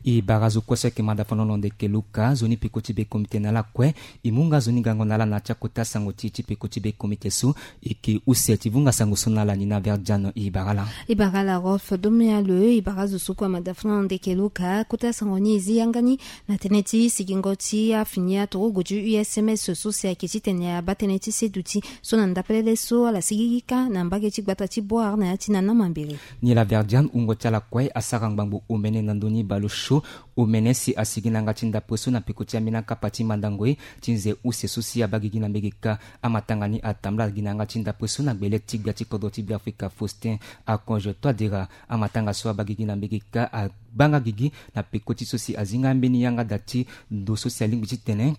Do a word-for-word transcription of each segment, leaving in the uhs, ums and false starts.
E bara zo kue so ayeke manda fano na ndeke luka zo ni peko ti be komite na ala kue. E mu nga zo ni gango na ala na ya ti akota sango ti e ti peko ti be komite so. E yeke use ti vunga sango so na ala ni na verdiano e bara ala. E bara ala rolf domealo e bara zo so kue amanda fano na ndeke luka kota sango ni e zi yanga ni na tënë ti sigingo ti afini aturugu ti usms so si ayeke titene abaa tënë ti seduti so na ndapelele so ala sigigi kâ na mbage ti gbata ti boire na ya ti nana mambere. Ni la verdiane wungo ti ala kue asara ngbangbo omene na ndö ni baleosio. Omene si asigi na yanga ti ndapre so na peko ti ambeni akapa ti mandango ye ti nze use so si abaa gigi na mbege kâ. Amatanga ni atambula gi na yanga ti ndapre so na gbele ti gbia ti kodro ti beafrika faustin akonge toi dera. Amatanga so abaa gigi na mbege kâ abaa nga gigi na peko ti so si azi nga ambeni yanga da ti ndo so si alingbi titene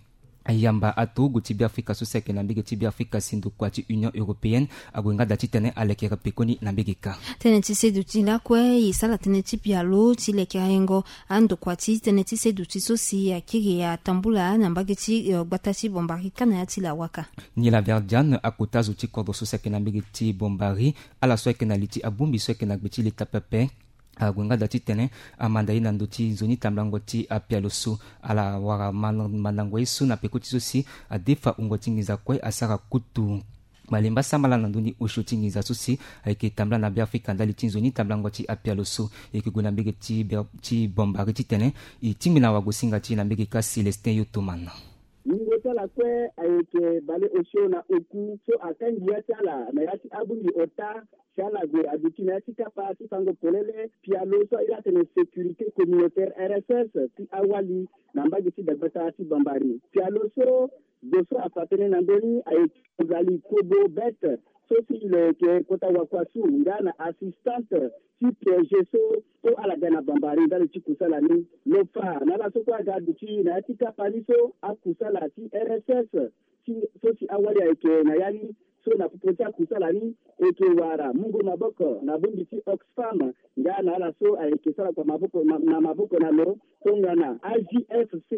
ayamba aturugu ti beafrika so si ayeke na mbege ti beafrika si ndokua ti union européenne ague nga da titene alekere pekoni na mbege kâ. Tënë ti seduti lakue e sara tënë ti pialo ti lekere yengo andokua ti tënë ti seduti so si akiri atambula na mbage ti gbata ti bombari kâ na ya ti lawaka. Ni la verdiane akota zo ti kodro so si ayeke na mbege ti bombari ala so ayeke na li ti abongbi so ayeke na gbe ti leta pepe. Ague nga da titene amanda ye na ndö ti nzoni tambulango ti apialo so ala wara mandango ye so na peko ti so si adefa wungo ti nginza kue asara kutu malembe asambala na ndö ni osio ti nginza so si ayeke tambula na beafrika ndali ti nzoni tambulango ti apialo so. E yeke gue na mbege ti bombari titene e tingbi na wagosinga ti e na mbege kâ célestin yotoman. Wungo ti ala kue ayeke baleosio na oku so akangi ya ti ala na ya ti abongbi ota si ala gue aduti na ya ti kapa ti fango polele pialo so aye atene sécurité communautaire rss ti awali na mbage ti dagbata ti bambari pialo so zo so afa tënë na ndö ni ayeke ozali kobo bête so si lo yeke kota wakuasu nga na assistante ti piège so so ala ga na bambari ndali ti kusala ni. Lo fa na ala so kue aga aduti na ya ti kapa ni so akusala ti rss so si awali ayeke na ya ni so na popo ti akusala ni e yeke wara mungo maboko na bongbi ti oxfam nga na ala so ayeke sara kua maboko na maboko na lo tongana agfc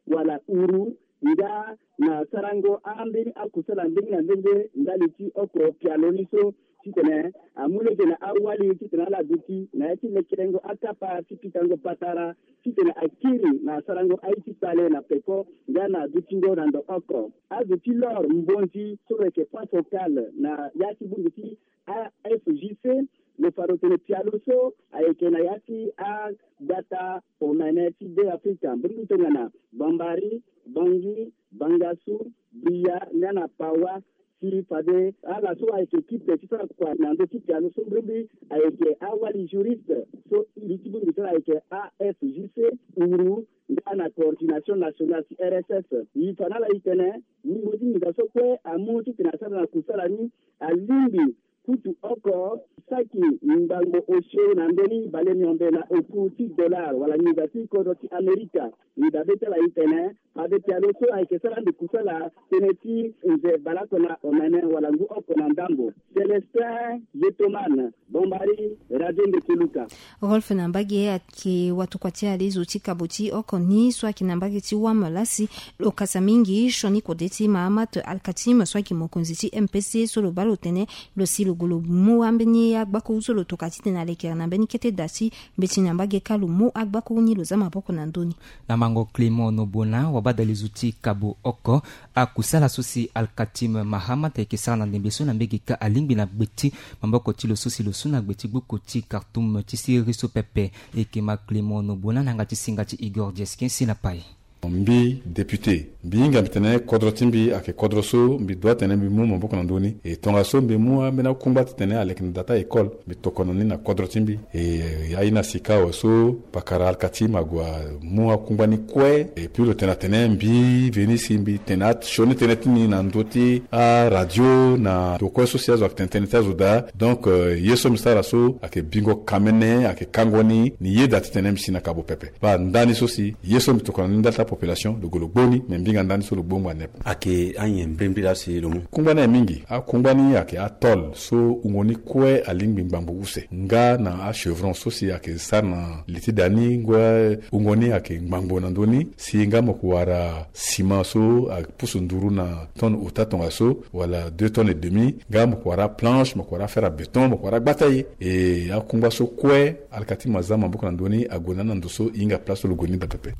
wala uru nga na sarango ambeni akusala ndenge na ndenge ndali ti oko pialo ni so titene amu lege na awali titene ala duti na ya ti lekerengo akapa ti pikango patara titene akiri na sarango aye ti kpale na peko nga na dutingo na ndo oko azo ti lor mbonzi so lo yeke point focal na ya ti bongbi ti afgc. Lo fa lo tene pialo so ayeke na ya ti agbata omene ti be afrika mbeni tongana bambari bangi bangasu bria nga na pawa si fade ala so ayeke kipe ti sara kua na ndö ti pialo so mbirimbiri ayeke awali juriste so li ti bongbi so ayeke afgc uru nga na coordination nationale ti rss. Yi fa na ala yi tene wungo ti nginza so kue amu titene asara na kusala ni alingbi kutu oko saki ngbangbo osio na ndö ni bale miombe na oku ti dollar wala nginza ti kodro ti amerika. Nginza be ti ala yi tene fade pialo so ayeke sara ande kusala tënë ti nze baleoko na omene wala ngu oko na ndambo. Célestin yetoman bombari radio ndeke luka. Rolf na mbage ayeke watokua ti alezo ti kabo ti oko ni so ayeke na mbage ti wam lasi lo kasa mingi sioni kode ti mahamat alkatim so ayeke mokonzi ti mpc so lo baa lo tene lo si lo gue lo mu ambeni agbakuru so lo toka titene alekere na mbeni kete da ti mbeti na mbage kâ lo mu agbakuru ni lo za maboko na ndö ni. Na mango clément nobona wabadalizu ti kabo oko akusala so si alkatim mahamat ayeke sara na ndembe so na mbege kâ alingbi na gbe ti maboko ti lo so si lo su na gbe ti gbuku ti kartum ti siriri so pepe. Eke ma clément nobona na yanga ti singa ti igor dieskin si na pai. Mbi député mbi hinga mbi tene kodro ti mbi ayeke kodro so mbi dua tene mbi mu maboko na ndö ni e tongaso mbi mu ambeni akungba titene aleke na da ti a-école mbi tokono ni na kodro ti mbi. E aye na sika awe so pakara alkatim ague amu akungba ni kue. Epui lo tene atene mbi veni si mbi tene asioni tënë ti ni na ndö ti aradio na ndo kue so si azo ayeke tene tënë ti azo daa. Donc ye so mbi sara so ayeke bingo kamene ayeke kango ni ni yeda titene mbi si na kabo pepe. Baa ndani so si ye so mbi tokona ni ndali ti Population lo gue lo gbo ni, me mbinga ndani so lo gbo ngba nepe. Ayeke anyen mbrimbri laa si lo mu. Kungba ni aye mingi. Akungba ni ayeke atol so wungo ni kue alingbi ngbangbo use nga na achevron so si ayeke sara na li ti da ni ngoi. Wungo ni ayeke ngbangbo na ndö ni si nga mo yeke wara sima so apusu nduru na tonne ota tongaso wala deux tonnes et demi, nga mo yeke wara aplanche, mo yeke wara afere abéton, mo yeke wara agbata ye. E akungba so kue alika ti maza maboko na ndö ni ague na ni na ndo so e hinga place so lo gue ni daa pepe.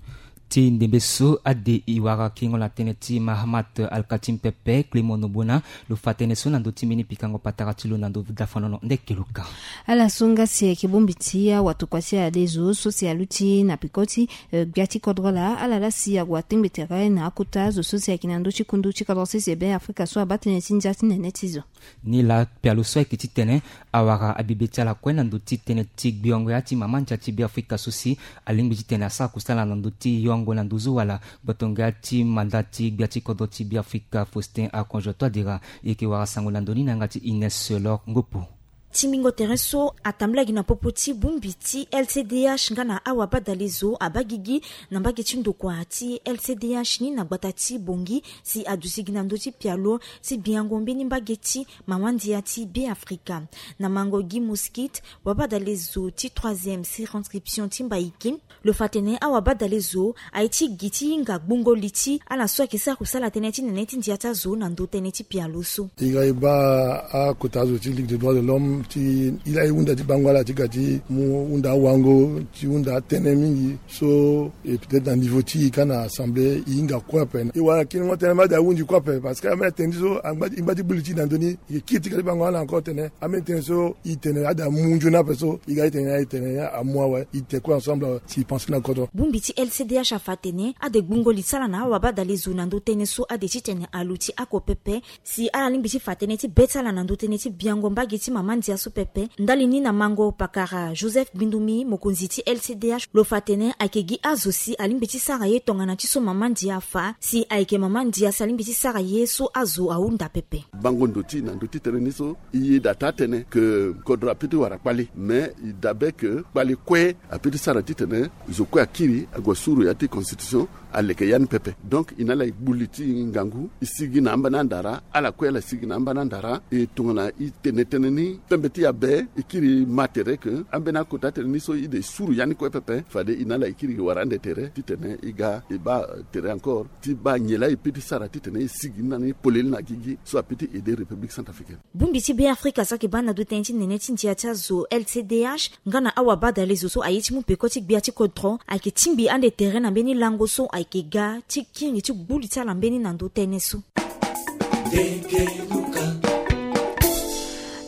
Ti ndembe so ade e wara kiringo na tënë ti Mahamat Alkatim pepe, Clément Nobona, lo fa tënë so na ndö ti mbeni pikango patara ti lo na ndö dafanono ndeke luka. Ala so nga si ayeke bongbi ti awatokua ti ade zo so si aluti na peko ti, eh, gbia ti kodro laa, ala laa si ague atengbe tere na akota zo so si ayeke na ndö ti kundu ti kodro sese Be Afrika so abaa tënë ti ndia ti nene ti zo. Ni laa pialo so ayeke titene awara abibe ti ala kue na ndö ti tënë ti gbeongo ya ti mama ndia ti Be Afrika so si alingbi titene asara kusala na ndö ti yongo na nduzu wala gbotongo ya ti manda ti gbia ti kodro ti Be Afrika Faustin Archange Touadéra. E yeke wara sango na ndö ni na yanga ti Ines Lor Ngopo. Tingbingo tere so atambula gi na popo ti bongbi ti L C D H nga na awabadale zo abaa gigi na mbage ti ndokua ti L C D H ni na gbata ti Bangui si aduti gi na ndö ti pialo ti biango mbeni mbage ti mama ndia ti Be Afrika. Na mango Guy Mosquit, wabadale zo ti troisième circonscription ti Mbaïki, lo fa tene awabadale zo aye ti gi ti hinga gbungo li ti ala so ayeke sara kusala tënë ti nene ti ndia ti azo na ndö tënë ti pialo so. E ga e baa akota azo ti Ligue des droits de l'homme ti e laa e hunda ti bango ala ti ga ti mu hunda awango ti hunda atënë mingi so, e peut-être na niveau ti e ka na assemblée e hinga kue ape. E wara kiringo tënë mbi ade ahunzi kue ape parce que ambeni atënë ti so angba ti gbu li ti e na ndö ni. E yeke kiri ti ga ti bango ala encore tene ambeni tënë so e tene ade amu nzoni ape so e ga ti tene e tene amu awe. E te kue ensemble si e pense na kodro. Bongbi ti L C D H afa atene ade gbungo li ti ala na awabadale zo na ndö tënë so ade titene aluti ako pepe. Si ala lingbi ti fa tënë ti be ti ala na ndö tënë ti biango mbage ti mama ndia so pepe, ndali ni na mango pakara Joseph Bindumi, mokonzi ti L C D H, lo fa tene ayeke gi azo si alingbi ti sara ye tongana ti so mama ndia afa, si ayeke mama ndia si alingbi ti sara ye so azo ahunda pepe. Bango ndo ti na ndö ti tënë ni so, e yeda taa tënë ke kodro apeut ti wara kpale, mais e dabe ke kpale kue apeut ti sara titene zo kue akiri ague suru ya ti constitution aleke ya ni pepe. Donc e na ala e gbu li ti ngangu, e sigi na ambeni andara, ala kue ala sigi na ambeni andara. E tongana e tene tënë ni pembe ti e abe, e kiri ma tere ke ambeni akota tënë ni so e de suru ya ni kue pepe. Fade e na ala e kiri e wara ande tere titene e ga e baa tere encore ti baa nyen laa e peut ti sara titene e sigi ni na ni polele na gigi so apeut ti aider République centrafricaine. Bongbi ti Be Afrika so ayeke baa na ndo tënë ti nene ti ndia ti azo L C D H nga na awabadale zo so aye ti mu peko ti gbia ti kodro ayeke tingbi ande tere na mbeni lango so ayeke ga ti kiri ti gbu li ti ala mbeni na ndo tënë so.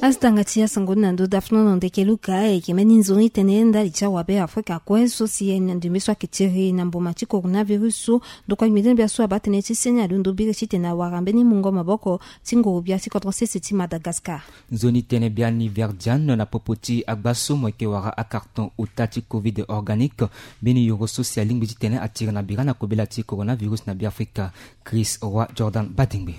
Asi tanga ti asango ni na ndo dafnono ndeke luka, e yeke mbeni nzoni tënë ndali ti awabe Afrika kue so si e na ndembe so ayeke tiri na mboma ti coronavirus so. Ndokua gbinzon gbia so abaa tënë ti seni alondo biri titene awara mbeni mungo maboko ti nguru gbia ti kodro sese ti Madagascar. Nzoni tënë biani Verdiane na popo ti agba so mo yeke wara acarton ota ti covid organique, mbeni yoro so si alingbi titene atiri na bira na kobela ti coronavirus na Be Afrika. Chris Roi Jordan Badingbe.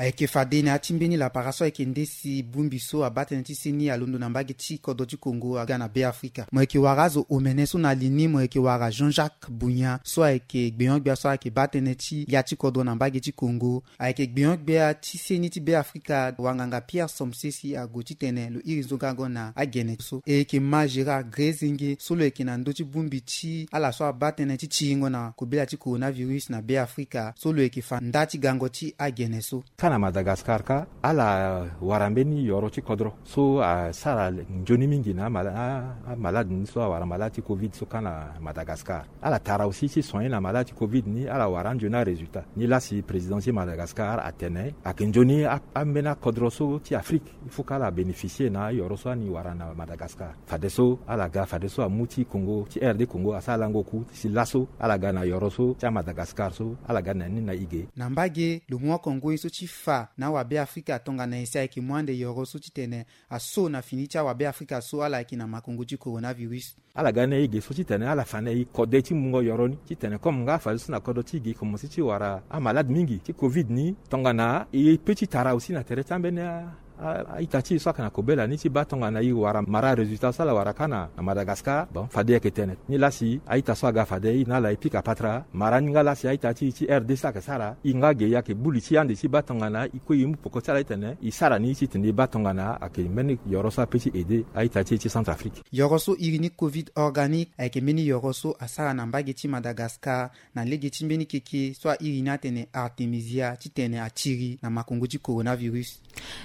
Ayeke fade na ya ti mbeni lapara so ayeke nde si bongbi so abaa tënë ti seni alondo na mbage ti kodro ti Congo aga na Be Afrika. Mo yeke wara azo omene so na li ni, mo yeke wara Jean-Jacques Bunya so ayeke gbeon-gbia so ayeke baa tënë ti ya ti kodro na mbage ti Congo. Ayeke gbeon-gbia ti seni ti Be Afrika, wanganga Pierre Somse si ague titene lo iri nzongango na agene so. E yeke ma Gérard Grezenge so lo yeke na ndö ti bongbi ti ala so abaa tënë ti tiringo na kobela ti coronavirus na Be Afrika so lo yeke fa nda ti gango ti agene so. Ka na Madagascar ka, ala wara mbeni yoro ti kodro so asara nzoni mingi na amala-, a-, amalade ni so awara malade ti covid so ka na Madagascar. Ala tara aussi ti soigner na malade ti covid ni, ala wara anzoni arésultat. Ni laa si président ti Madagascar atene ayeke nzoni a-, ambeni akodro so ti Afrique, il faut que ala bénéficier na ayoro so ani wara na Madagascar. Fadeso ala ga, fadeso amu ti Congo, ti R D Congo asara lango ku, si laso ala ga na yoro so ti aMadagascar so, ala ga na ni na e ge. Na mbage, lo mu akongoi so ti fa na awabe Afrika tongana nyen si ayeke mu ande yoro so titene aso na fini ti awabe Afrika so ala yeke na makongo ti coronavirus. Ala ga na e ge so titene ala fa na e kode ti mungo yoro ni, titene comme nga fadeso na kodro ti e ge e komanse ti wara amalade mingi ti covid ni, tongana e peut ti tara aussi na tere ti ambeni a-, A-ita ti e so ayeke na kobela ni ti baa tongana e wara mara résultat so ala wara kâ na Madagascar. Bon, fade ayeke tene ni lasi a-ita so aga fade e na ala e pika patara mara ni nga lasi a-ita ti e ti R D C ayeke sara e nga ge e ayeke buli ti ande ti baa tongana e kue e mu poko ti ala titene e sara ni titene e baa tongana ayeke mbeni yoro so ape ti aide a-ita ti e ti Centrafrique. Yoro so iri ni covid organique ayeke mbeni yoro so asara na mbage ti Madagascar na lege ti mbeni keke so airi ni atene artemisia titene atiri na makongo ti coronavirus.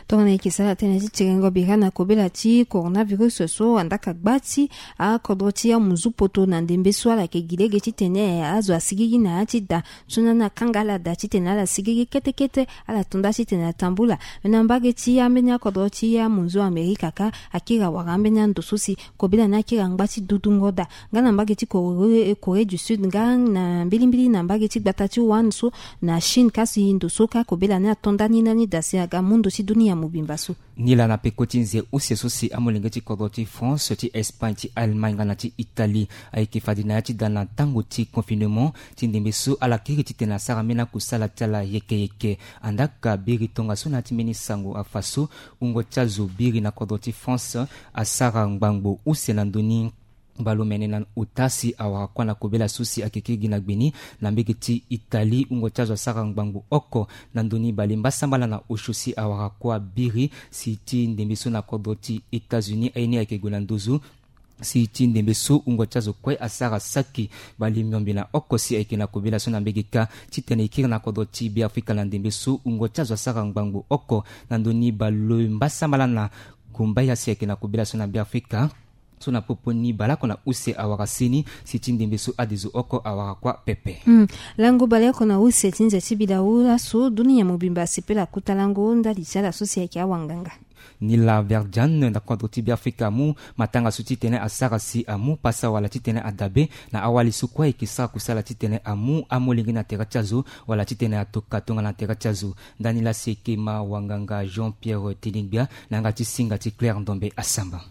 Tongana e yeke sara tënë ti tirengo bira na kobela ti coronavirus so andaka gba ti akodro ti amunzu poto na ndembe so ala yeke gi lege titene azo asigigi na ya ti da so na ni akanga ala daa titene ala sigigi kete kete ala to nda titene atambula. Me na mbage ti ambeni akodro ti amunzu Amerika kâ akiri awara ambeni ando so si kobela ni akiri angba ti dudungo daa nga na mbage ti Corée, Corée du Sud nga na mbilimbili na mbage ti gbata ti Wuhan so na Chine kasi ndo so kâ kobela ni ato nda ni na ni daa si aga mu ndo ti dunia mobimba so. Ni laa na peko ti nze use so si amolenge ti kodro ti France, ti Espagne, ti Allemagne nga na ti Italie ayeke fade na ya ti da na tango ti confinement ti ndembe so ala kiri titene asara mbeni akusala ti ala yeke yeke. Andaka biri tongaso na ya ti mbeni sango afa so wungo ti azo biri na kodro ti France asara ngbangbo use na ndö ni baleomene na ota si awara kuâ na kobela so si ayeke kiri gi na gbe ni. Na mbege ti Italie wungo ti azo asara ngbangbo oko na ndö ni balembasambala na osio si awara kuâ biri si ti ndembe so na kodro ti États-Unis aye ni ayeke gue na nduzu. Si ti ndembe so wungo ti azo kue asara saki balemiombe na oko si ayeke na kobela so na mbege kâ titene e kiri na kodro ti Beafrika na ndembe so wungo ti azo asara ngbangbo oko na ndö ni balembasambala na gumbaya si ayeke na kobela so na Beafrika. So na popo ni baleoko na use awara seni si ti ndembe so adezo oko awara kuâ pepe. Hmm. Lango baleoko na use ti nze ti bidawu laso dunia mobimba asepela kota lango ndali ti ala so si ayeke awanganga. Ni laa Verdiane na kodro ti Beafrika amu matanga so titene asara si amu pasa wala titene adabe na awali so kue ayeke sara kusala titene amu amolenge na tere ti azo wala titene atoka tongana na tere ti azo. Ndani laa si ayeke ma wanganga Jean Pierre Teningbia na yanga ti singa ti Claire Ndombe Asamba.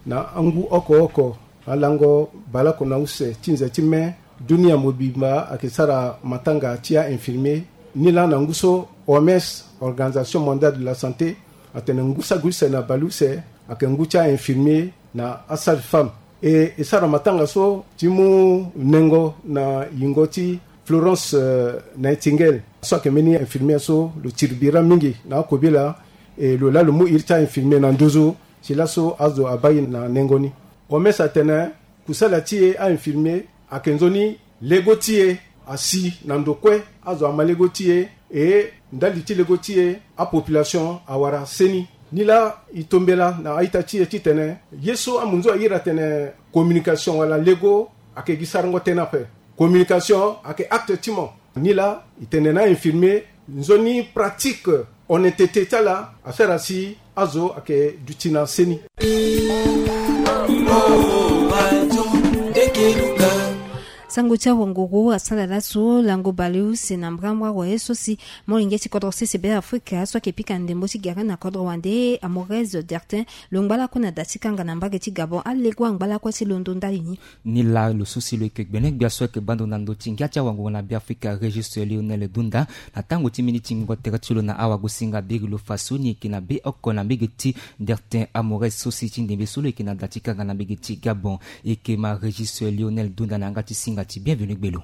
Na angu oko oko alango baleoko na use ti nze ti mai dunia mobimba ayeke sara matanga ti a-infirmier. Ni laa na ngu so O M S, Organisation Mondiale de la Santé, atene ngu saki use na baleuse ayeke ngu ti a-infirmier na asage-femme. E, e sara matanga so ti mu nengo na yingo ti Florence, euh, Nightingale so ayeke mbeni infirmier so lo tiri bira mingi na akobela. E lo laa lo mu iri ti a-infirmier na nduzu si laso azo abaa e na nengo ni. O M S atene kusala ti e a-infirmier ayeke nzoni lego ti e asi na ndo kue. Azo ama lego ti e, e ndali ti lego ti e apopulation awara seni. Ni laa e tombela na a-ita ti e titene ye so amunzu airi atene communication wala lego ayeke gi sarango tënë ape. Communication ayeke acte ti mo. Ni laa e tene na a-infirmier nzoni pratique honnêteté ti ala asara si azo ayeke duti na seni. Sango ti awanguru asara laso lango baleuse na mbrambra waye so si molenge ti kodro sese Beafrika so ayeke pika ndembo ti gere na kodro wande Amorez Dertin lo ngba lakue na da ti kanga na mbage ti Gabon alego angba lakue ti londo ndali ni. Ni laa lo so si lo yeke gbenegbia so ayeke baa ndo na ndö ti ngia ti awanguru na Beafrika Régis Lionel Dunda na tango ti miniti ngingo tere ti lo na awagosinga biri lo fa so ni yeke na be oko na mbege ti Dertin Amorez so si ti ndembe so lo yeke na da ti kanga na mbege ti Gabon. E yeke ma Régis Lionel Dunda na yanga ti singa ti Bienvenu Gbelo.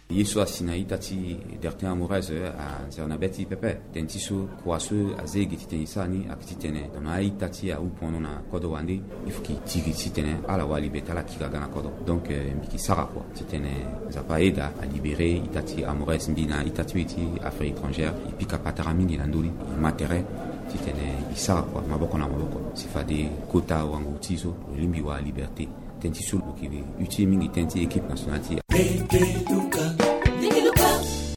Ye so asi na ita ti Dertin Amorez azia na be ti pepe. Tënë ti so kua so azia e gi titene e sara ni ayeke titene tongana a-ita ti e ahu pono na kodro wande, il faut que e tiri titene ala wara liberté, ala kiri aga na kodro. Donc, euh, mbi yeke sara kua titene Nzapa ayeda alibéré ita ti Amorez. Mbi na ita ti e ti affaires étrangères e pika patara mingi na ndö ni, e ma tere titene e sara kua maboko na maboko si fade kota wanguru ti e so lo lingbi wara liberté. Tënë ti so lo yeke utile mingi tënë ti équipe nationale ti e.